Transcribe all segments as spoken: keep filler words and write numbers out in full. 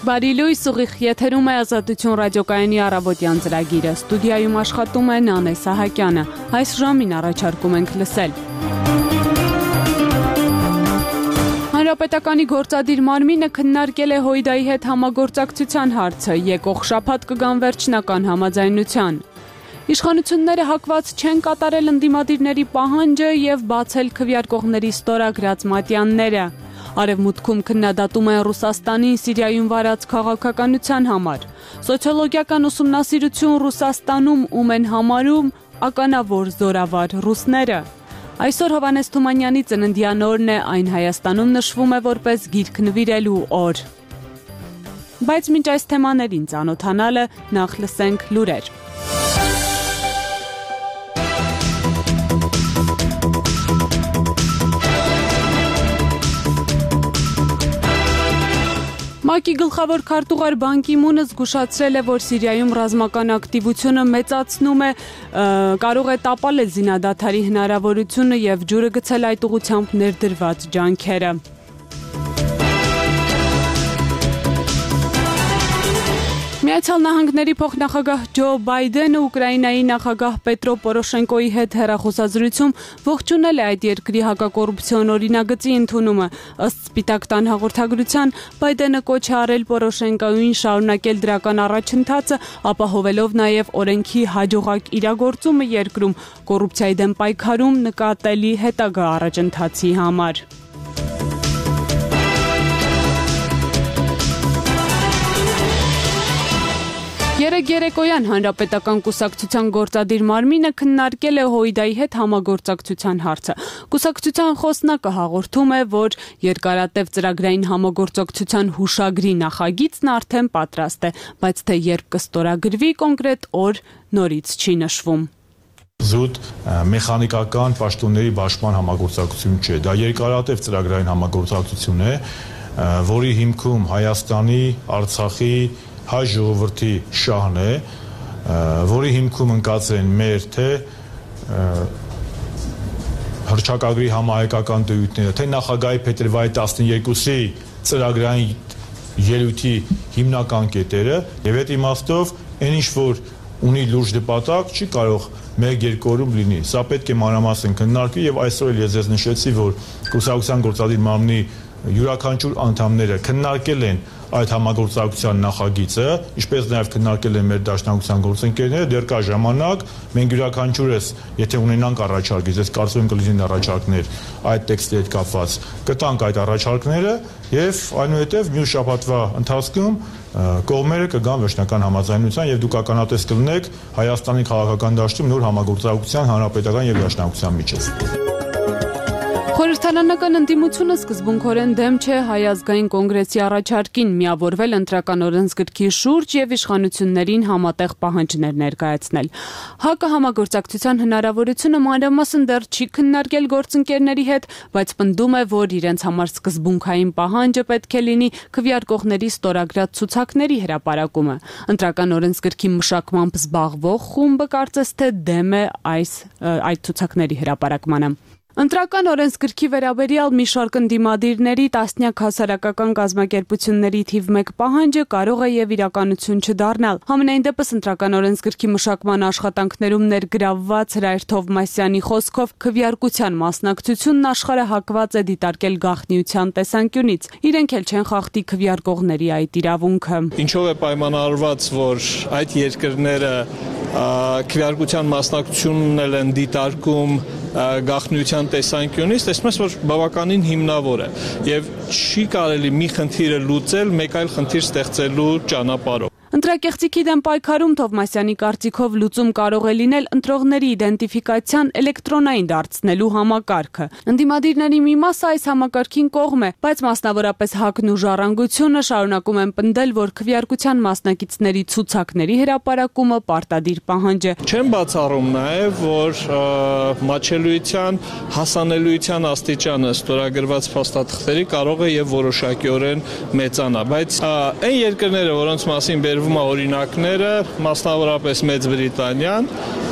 Բարի լույս, ուղիղ եթերում է Ազատություն ռադիոկայանի առավոտյան ծրագիրը։ Ստուդիայում աշխատում է Նանե Սահակյանը։ Այս ժամին առաջարկում ենք լսել. Հանրապետականի գործադիր մարմինը քննարկել է Հույդայի հետ համագործակցության հարցը, եկող շաբաթ կգան վերջնական համաձայնության։ Իշխանությունները հակված չեն կատարել ընդդիմադիրների պահանջը եւ բացել քվեարկողների ստորագրած մատյանները։ Արևմուտքում քննադատում են Ռուսաստանին Սիրիայում վարած քաղաքականության համար։ Սոցիոլոգիական ուսումնասիրություն Ռուսաստանում ում են համարում ականավոր զորավար ռուսները։ Այսօր Հովհաննես Թումանյանի ծննդյան օրն է, այն Հայաստանում նշվում է որպես գիրք նվիրելու օր։ Բայց մինչ այս թեմաներին ծանոթանալը նախ լսենք լուրեր։ ՄԱԿ-ի գլխավոր քարտուղար Բան Կի Մունը զգուշացրել է, որ Սիրիայում ռազմական ակտիվությունը մեծացնում է, կարող է տապալել զինադադարի հնարավորությունը եւ ջուրը գցել այդ ուղղությամբ ներդրված ջանքերը։ Միացյալ Նահանգների փոխնախագահ Ջո Բայդենը Ուկրաինայի նախագահ Պետրո Պորոշենկոյի հետ հեռախոսազրույցում ողջունել է այդ երկրի հակակոռուպցիոն օրինագծի ընդունումը։ Ըստ Սպիտակ տան հաղորդագրության, Բայդենը կոչ է արել Պորոշենկոյին շարունակել դրական առաջընթացը, ապահովելով նաև օրենքի հաջողակ իրագործումը երկրում, կոռուպցիայի դեմ պայքարում նկատելի հետագա առաջընթացի համար։ Երեկ երեկոյան Հանրապետական կուսակցության գործադիր մարմինը քննարկել է Հույդայի հետ համագործակցության հարցը։ Կուսակցության խոսնակը հաղորդում է, որ երկարատև ծրագրային համագործակցության հուշագրի նախագիծն արդեն պատրաստ է, բայց թե երբ կստորագրվի կոնկրետ օր նորից չի նշվում։ Զուտ մեխանիկական պաշտոնների բաշխման համագործակցություն չէ, դա երկարատև ծրագրային համագործակցություն է, որի հիմքում Հայաստանի, Արցախի հայ ժողովրդի շահն է, որի հիմքում ընկած են մեր թե հռչակագրի համահայկական տիրույթները, թե նախագահի փետրվարի տասներկուսի ծրագրային ելույթի հիմնական կետերը, եւ այդ իմաստով այն ինչ որ ունի լուրջ նպատակ, չի կարող մեկ-երկու օրում լինի։ Սա պետք է մանրամասն քննարկվի եւ այսօր էլ ես ձեզ նշեցի, որ կուսակցության գործադիր մարմնի յուրաքանչյուր անդամները քննարկել են այդ համագործակցության նախագիծը, ինչպես նաև քննարկել են մեր դաշնակցության գործընկերները, դեռ կա ժամանակ, մենք յուրաքանչյուրս, եթե ունենանք առաջարկներ, ես կարծում եմ կլինեն առաջարկներ այդ տեքստի հետ կապված, կտանք այդ առաջարկները եւ այնուհետեւ մյուս շաբաթվա ընթացքում կողմերը կգան վերջնական համաձայնության եւ դուք ականատես կլինեք Հայաստանի քաղաքական դաշտում նոր համագործակցության հանրապետական եւ դաշնակցության միջեւ։ Խորհրդարանական ընդդիմությունը սկզբունքորեն դեմ չէ Հայ ազգային կոնգրեսի առաջարկին միավորվել ընտրական օրենսգրքի շուրջ եւ իշխանություններին համատեղ պահանջներ ներկայացնել։ ՀԱԿ-ը համագործակցության հնարավորությունը մանրամասն դեռ չի քննարկել գործընկերների հետ, բայց պնդում է, որ իրենց համար սկզբունքային պահանջը պետք է լինի քվեարկողների ստորագրած ցուցակների հրապարակումը։ Ընտրական օրենսգրքի մշակմամբ զբաղվող խումբը կարծես թե դեմ է այս այդ ցուցակների հրապարակմանը։ Ընտրական օրենսգրքի վերաբերյալ մի շարք ընդդիմադիրների տասնյակ հասարակական կազմակերպությունների թիվ մեկ պահանջը կարող է եւ իրականություն չդառնալ։ Համենայն դեպս ընտրական օրենսգրքի մշակման աշխատանքներում ներգրավված Հրայր Թովմասյանի խոսքով քվեարկության մասնակցությունն աշխարհը հակված է դիտարկել գաղտնիության տեսանկյունից։ Իրենք էլ չեն խախտի քվեարկողների այդ իրավունքը։ Ինչով է պայմանավորված, որ այդ երկրները քվեարկության մասնակցությունն էլ են դիտարկում գաղտնիության տեսանկյունից, տեսնում ես, որ բավականին հիմնավոր է եւ չի կարելի մի խնդիրը լուծել մեկ այլ խնդիր ստեղծելու ճանապարհով։ Ընտրակեղծիքի դեմ պայքարում Թովմասյանի կարծիքով լուծում կարող է լինել ընտրողների իդենտիֆիկացիան էլեկտրոնային դարձնելու համակարգը։ Ընդդիմադիրների մի մասը այս համակարգին կողմ է, բայց մասնավորապես ՀԱԿ-ն ու Ժառանգությունը շարունակում են պնդել, որ քվեարկության մասնակիցների ցուցակների հրապարակումը պարտադիր պահանջ է։ Չեմ բացառում նաև, որ մատչելիության հասանելիության աստիճանը ստորագրված փաստաթղթերի կարող է եւ որոշակիորեն մեծանա, բայց այն երկրները, որոնց մասին բերվում է օրինակները, մասնավորապես Մեծ Բրիտանիան,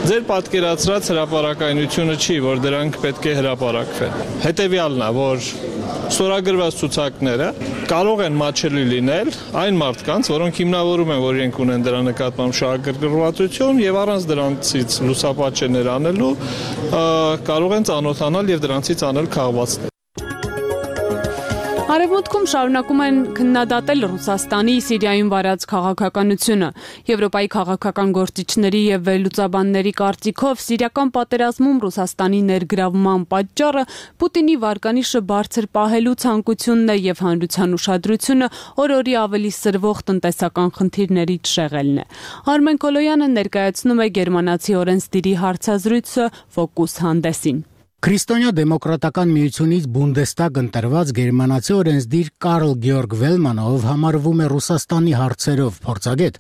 ձեր պատկերացրած հրապարակայնությունը չի, որ դրանք պետք է հրապարակվեն։ Հետևյալն է, որ ստորագրված ցուցակները կարող են մատչելի լինել այն մարդկանց, որոնք հիմնավորում են, որ իրենք ունեն դրա նկատմամբ շահագրգռվածություն եւ առանց դրանցից լուսապատճեններ անելու կարող են ծանոթանալ եւ դրանցից անել քաղվածքներ։ Արևմուտքում շարունակում են քննադատել Ռուսաստանի Սիրիայում վարած քաղաքականությունը։ Եվրոպայի քաղաքական գործիչների եւ վերլուծաբանների կարծիքով սիրիական պատերազմում Ռուսաստանի ներգրավման պատճառը Պուտինի վարկանիշը բարձր պահելու ցանկությունն է եւ հանրության ուշադրությունը օր-օրի ավելի սրվող տնտեսական խնդիրներից շեղելն է։ Արմեն Կոլոյանը ներկայացնում է գերմանացի օրենսդիրի հարցազրույցը Ֆոկուս հանդեսին։ Քրիստոնյա դեմոկրատական միությունից Բունդեստագ ընտրված գերմանացի օրենսդիր Կարլ Գեորգ Վելմանը, ով համարվում է Ռուսաստանի հարցերով փորձագետ,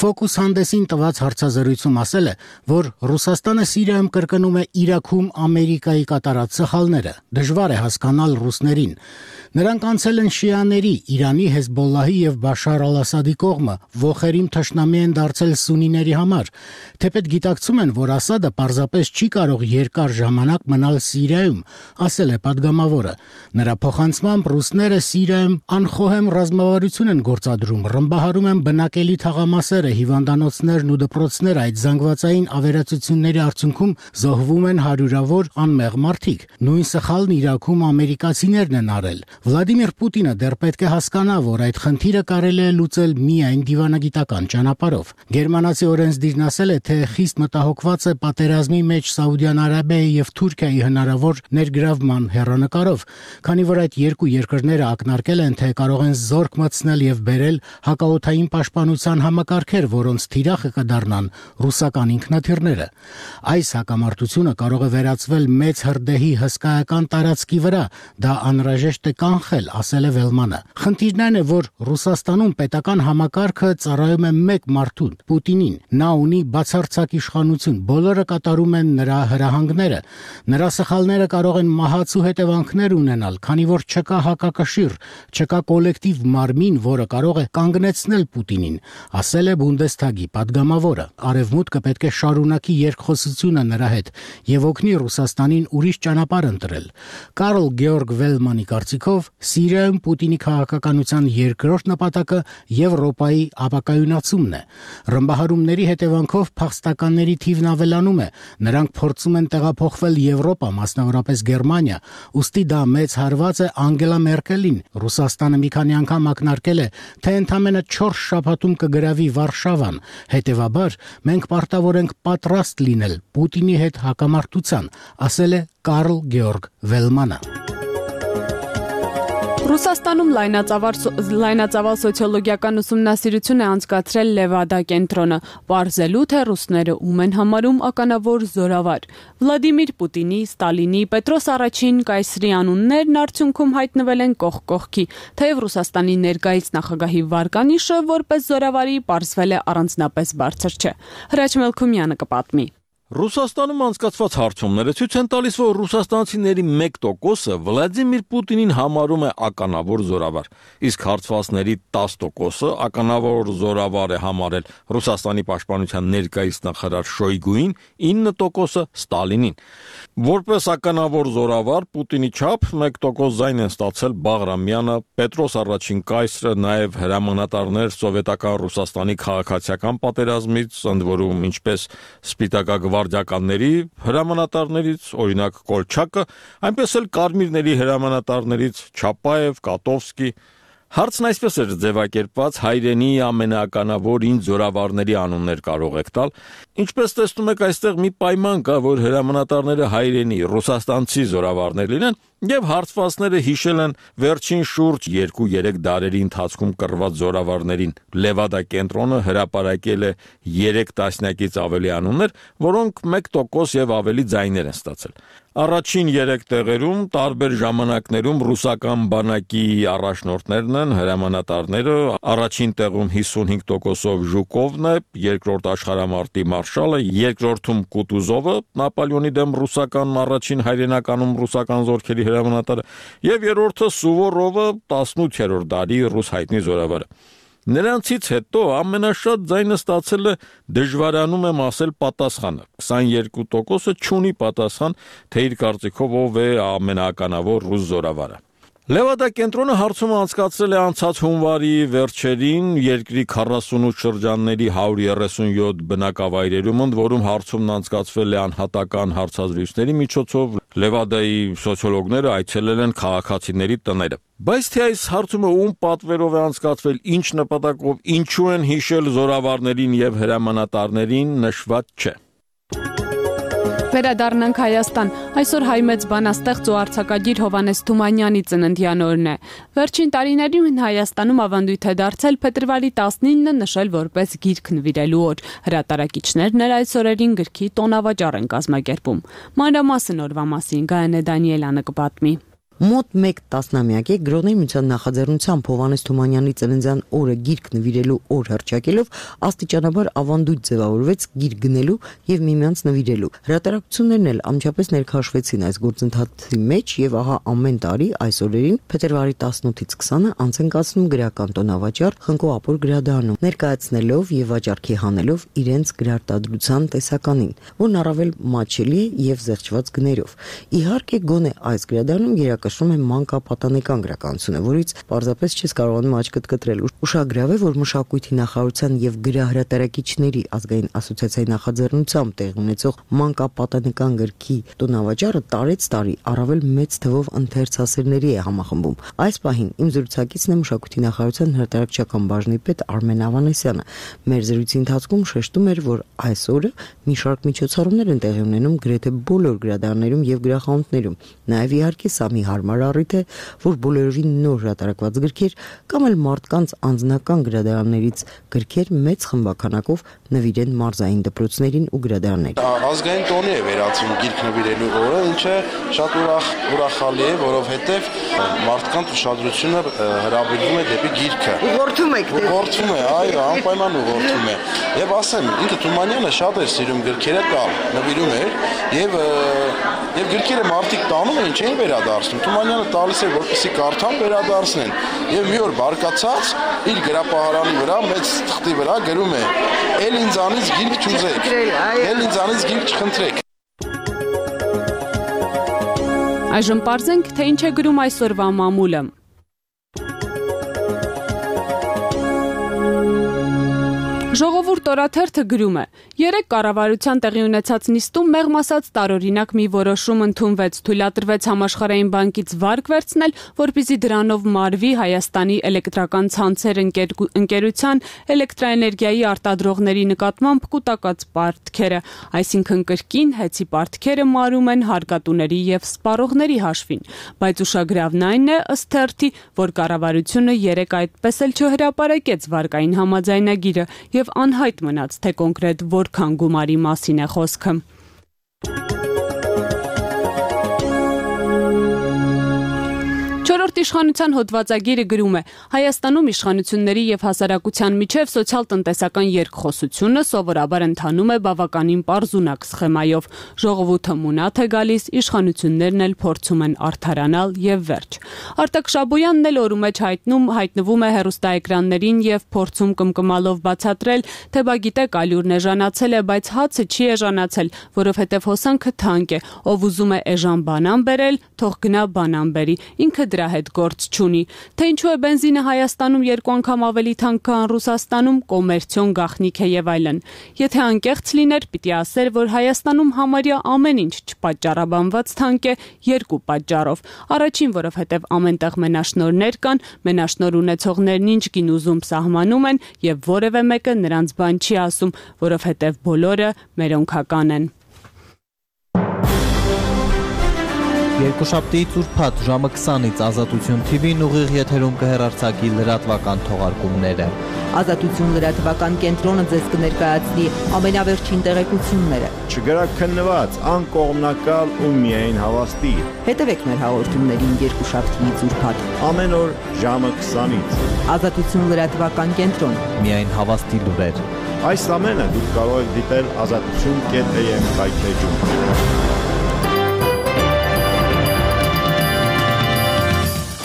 Ֆոկուս հանդեսին տված հարցազրույցում ասել է, որ Ռուսաստանը Սիրիայում կրկնում է Իրաքում Ամերիկայի կատարած սխալները։ Դժվար է հասկանալ ռուսներին։ Նրանք անցել են շիաների, Իրանի, Հեզբոլլահի եւ Բաշար al-Ասադի կողմը, ոխերիմ թշնամի են դարձել սունիների համար։ Թեպետ գիտակցում են, որ Ասադը պարզապես չի կարող երկար ժամանակ մնալ Սիրիայում, ասել է падգամավորը։ Նրա փոխանցմամբ ռուսները Սիրիայում անխոհեմ ռազմավարություն են գործադրում, ռմբահարում են բնակելի թաղամասերը, հիվանդանոցներն ու դպրոցները, այդ զանգվածային ավերածությունների արդյունքում զոհվում են հարյուրավոր անմեղ մարդիկ։ Նույն սխալն Իրաքում ամերիկացիներն են արել։ Վլադիմիր Պուտինը դեռ պետք է հասկանա, որ այդ խնդիրը կարելի է լուծել միայն դիվանագիտական ճանապարհով։ Գերմանացի օրենսդիրն ասել է, թե խիստ մտահոգված է պատերազմի մեջ Սաուդյան Արաբիայի եւ Թուրքիայի հնարավոր ներգրավման հեռանկարով, քանի որ այդ երկու երկրները ակնարկել են, թե կարող են զորք մտցնել եւ բերել հակաօդային պաշտպանության համակարգեր, որոնց թիրախը կդառնան ռուսական ինքնաթիռները։ Այս հակամարտությունը կարող է վերածվել մեծ հրդեհի հսկայական տարածքի վրա, դա անհրաժեշտ է կանխել, ասել է Վելմանը։ Խնդիրն այն է, որ Ռուսաստանում պետական համակարգը ծառայում է մեկ մարդուն՝ Պուտինին։ Նա ունի բացարձակ իշխանություն, բոլորը կատարում են նրա հրահանգները։ Նրա սխալները կարող են մահացու հետևանքներ ունենալ, քանի որ չկա հակակշիռ, չկա կոլեկտիվ մարմին, որը կարող է կանգնեցնել Պուտինին, ասել է Բունդեստագի падգամավորը։ Արևմուտքը պետք է շարունակի երկխոսությունը նրա հետ եւ օգնի Ռուսաստանին ուրիշ ճանապարհ ընտրել։ Կարլ Գեորգ Վելմանի կարծիքով Սիրիայում Պուտինի քաղաքականության երկրորդ նպատակը Եվրոպայի ապակայունացումն է։ Ռմբահարումների հետևանքով փախստականների թիվն ավելանում է, նրանք փորձում են տեղափոխվել Եվրոպա, մասնավորապես Գերմանիա, ուստի դա մեծ հարված է Անգելա Մերկելին։ Ռուսաստանը մի քանի անգամ ակնարկել է, թե ընդամենը չորս շաբաթում կգրավի Վարշավան։ Հետևաբար մենք պարտավոր ենք պատրաստ լինել Պուտինի հետ հակամարտության, ասել է Կարլ Գեորգ Վելմանը։ Ռուսաստանում լայնածավալ սոցիոլոգիական ուսումնասիրություն է անցկացրել Լևադա կենտրոնը, պարզելու թե ռուսները ում են համարում ականավոր զորավար։ Վլադիմիր Պուտինի, Ստալինի, Պետրոս առաջին կայսրի անուններն արդյունքում հայտնվել են կողք կողքի, թեև Ռուսաստանի ներկայիս նախագահի վարկանիշը որպես զորավարի պարզվել է առանձնապես բարձր չէ։ Հրաչ Մելքումյանը կպատմի։ Ռուսաստանում անցկացված հարցումները ցույց են տալիս, որ ռուսաստանցիների մեկ տոկոսը Վլադիմիր Պուտինին համարում է ականավոր զորավար, իսկ հարցվածների տասը տոկոսը ականավոր զորավար է համարել Ռուսաստանի պաշտպանության ներկայիս նախարար Շոյգուին, ինը տոկոսը Ստալինին։ Որպես ականավոր զորավար Պուտինի չափ մեկ տոկոս ձայն են ստացել Բաղրամյանը, Պետրոս առաջին կայսրը, նաև հրամանատարներ սովետական Ռուսաստանի քաղաքացիական պատերազմից, ընդ որում ինչպես Սպիտակագվարդիականների հրամանատարներից, օրինակ Կոլչակը, այնպես էլ կարմիրների հրամանատարներից Չապաև, Կատովսկի։ Հարցն այսպես էր ձևակերպված, հայրենի ամենaaկանավոր ինձ զորավարների անուններ կարող եք տալ։ Ինչպես տեսնում եք, այստեղ մի պայման կա, որ հրամանատարները հայրենի ռուսաստանցի զորավարներ լինեն, եւ հարցվածները հիշել են վերջին շուրջ երկու-երեք դարերի ընթացքում կռված զորավարներին։ Լևադա կենտրոնը հրապարակել է երեք տասնյակից ավելի անուններ, որոնք մեկ տոկոս եւ ավելի ձայներ են ստացել։ Առաջին երեք տեղերում տարբեր ժամանակներում ռուսական բանակի առաջնորդներն են, հրամանատարները, առաջին տեղում հիսունհինգ տոկոսով Ժուկովն է, երկրորդ աշխարհամարտի մարշալը, երկրորդում Կուտուզովը, Նապոլեոնի դեմ ռուսական առաջին հայրենականում ռուսական զորքերի հրամանատարը, եւ երրորդը Սուվորովը, տասնութերորդ դարի ռուս հայտնի զորավարը։ Նրանցից հետո ամենաշատ ձայնը ստացել է դժվարանում եմ ասել պատասխանը։ քսաներկու տոկոսը չունի պատասխան, թե իր կարծիքով ով է ամենաականավոր ռուս զորավարը։ Լևադա կենտրոնը հարցումը անցկացրել է անցած հունվարի վերջերին երկրի քառասունութ շրջանների հարյուր երեսունյոթ բնակավայրերում, ընդ որում հարցումն անցկացվել է անհատական հարցազրույցների միջոցով։ Լևադայի սոցիոլոգները այցելել են քաղաքացիների տները։ Բայց թե այս հարցումը ում պատվերով է անցկացվել, ինչ նպատակով, ինչու են հիշել զորավարներին եւ հրամանատարներին, նշված չէ։ Վերադառնանք Հայաստան։ Այսօր հայ մեծ բանաստեղծ ու արձակագիր Հովհաննես Թումանյանի ծննդյան օրն է։ Վերջին տարիներին Հայաստանում ավանդույթ է դարձել փետրվարի տասնինը նշել որպես գիրք նվիրելու օր։ Հրատարակիչներն էլ այս օրերին գրքի տոնավաճառ են կազմակերպում։ Մանրամասն օրվա մասին Գայանե Դանիելյանը կպատմի։ Մոտ մեկ տասնամյակ է Գրոնի միության նախաձեռնությամբ Հովհաննես Թումանյանի ծննդյան օրը գիրք նվիրելու օր հռչակելով աստիճանաբար ավանդույթ ձևավորվեց գիրք գնելու եւ միմյանց նվիրելու։ Հրատարակություններն էլ անմիջապես ներքաշվեցին այս գործընթացի մեջ եւ ահա ամեն տարի այս օրերին փետրվարի տասնութից քսանը անց են կացնում գրական տոնավաճառ Խնկո Ապոր գրադարանում, ներկայացնելով եւ վաճառքի հանելով իրենց գրարտադրության տեսականին, որն առավել մատչելի է եւ զեղչված գներով։ Իհարկե գոնե այս գրադարանում կշռում է մանկապատանեկան գրականությունը, որից պարզապես չես կարողանում աչքդ կտրել։ Ուշագրավ է, որ մշակույթի նախարարության եւ գրահրատարակիչների ազգային ասոցիացիայի նախաձեռնությամբ տեղի ունեցող մանկապատանեկան գրքի տոնավաճառը տարեց տարի առավել մեծ թվով ընթերցասերների է համախմբում։ Այս պահին իմ զրուցակիցն է մշակույթի նախարարության հրատարակչական բաժնի պետ Արմեն Ավանեսյանը։ Մեր զրույցի ընթացքում շեշտում էր, որ այս օրը մի շարք միջոցառումներ են տեղի ունենում գրեթե բոլոր գրադարաններում եւ գրախանութներում։ Նաեւ իհարկե սա մի հարմար առիթ է, որ բոլորովին նոր հրատարակված գրքեր կամ էլ մարդկանց անձնական գրադարաններից գրքեր մեծ խմբականակով նվիրեն մարզային դպրոցներին ու գրադարաններին։ Ազգային տոնի է վերածվում գիրք նվիրելու օրը, ինչը շատ ուրախ ուրախալի է, որովհետև մարդկանց ուշադրությունը հրավիրվում է դեպի գիրքը։ Ուղղորդում եք դեպի։ Ուղղորդում է, այո, անպայման ուղղորդում է։ Եվ ասեմ, ինքը Թումանյանը շատ էր սիրում գրքերը տալ, նվիրում էր եւ եւ գրքերը մարդիկ տանում էին, չէին վերադարձնում։ Թումանյանը տալիս էր, որպեսզի կարդան վերադարձնեն։ Եվ մի օր բարկացած իր գրապահարանի վրա մեծ թղթի վրա գրում է. «Էլ ինձանից գիրք չուզեք, էլ ինձանից գիրք չխնդրեք»։ Այժմ պարզենք, թե ինչ է գրում այսօրվա մամուլը։ Ժողովուրդ օրաթերթը գրում է. երեք կառավարության տեղի ունեցած նիստում մեղմ ասած տարօրինակ մի որոշում ընդունվեց, թույլատրվեց Համաշխարհային բանկից վարկ վերցնել, որպեսզի դրանով մարվի Հայաստանի էլեկտրական ցանցեր ընկերության էլեկտրաէներգիայի արտադրողների նկատմամբ կուտակած պարտքերը, այսինքն կրկին հեծի պարտքերը մարում են հարկատուների եւ սպառողների հաշվին, բայց ուշագրավն այն է ըստ թերթի, որ կառավարությունը երեք այդպես էլ չհրապարակեց վարկային համաձայնագիրը եւ անհայտ մնաց, թե կոնկրետ որքան գումարի մասին է խոսքը։ Չորրորդ իշխանության հոդվածագիրը գրում է. Հայաստանում իշխանությունների եւ հասարակության միջև սոցիալ-տնտեսական երկխոսությունը սովորաբար ընթանում է բավականին պարզունակ սխեմայով։ Ժողովուրդը մունաթ է գալիս, իշխանություններն էլ փորձում են արդարանալ եւ վերջ։ Արտակ Շաբոյանն էլ օրու մեջ հայտնում հայտնվում է հեռուստաէկրաններին եւ փորձում կմկմալով բացատրել, թե բա գիտեք, ալյուրն էժանացել է, բայց հացը չի էժանացել, որովհետեւ հոսանքը թանկ է, ով ուզում է էժան բանան բերել, թող գնա բանան բերի, ինքը դրա հետ գործ չունի, թե ինչու է բենզինը Հայաստանում երկու անգամ ավելի թանկ քան Ռուսաստանում, կոմերցիոն գաղտնիք է եւ այլն։ Եթե անկեղծ լիներ, պիտի ասեր, որ Հայաստանում համարյա ամեն ինչ չպատճառաբանված թանկ է երկու պատճառով։ Առաջին, որովհետեւ ամենտեղ մենաշնորհներ կան, մենաշնորհ ունեցողներն ինչ գին ուզում սահմանում են եւ որևէ մեկը նրանց բան չի ասում, որովհետեւ բոլորը մերոնքական են։ Երկուշաբթիից ուրբաթ ժամը քսանից Ազատություն թի վին ուղիղ եթերում կհեռարձակի լրատվական թողարկումները։ Ազատություն լրատվական կենտրոնը ձեզ կներկայացնի ամենավերջին տեղեկությունները։ Չգրաքննված, անկողմնակալ ու միայն հավաստի։ Հետևեք մեր հաղորդումներին երկուշաբթիից ուրբաթ ամեն օր ժամը քսանից։ Ազատություն լրատվական կենտրոն։ Միայն հավաստի լուրեր։ Այս ամենը դուք կարող եք դիտել ազատություն կետ am կայքէջում։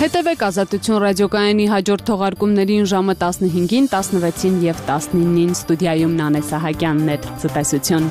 Հետևեք Ազատություն ռադիոկայանի հաջորդ թողարկումներին ժամը տասնհինգին, տասնվեցին եւ տասնինին։ Ստուդիայում Նանե Սահակյանն էր։ Ցտեսություն։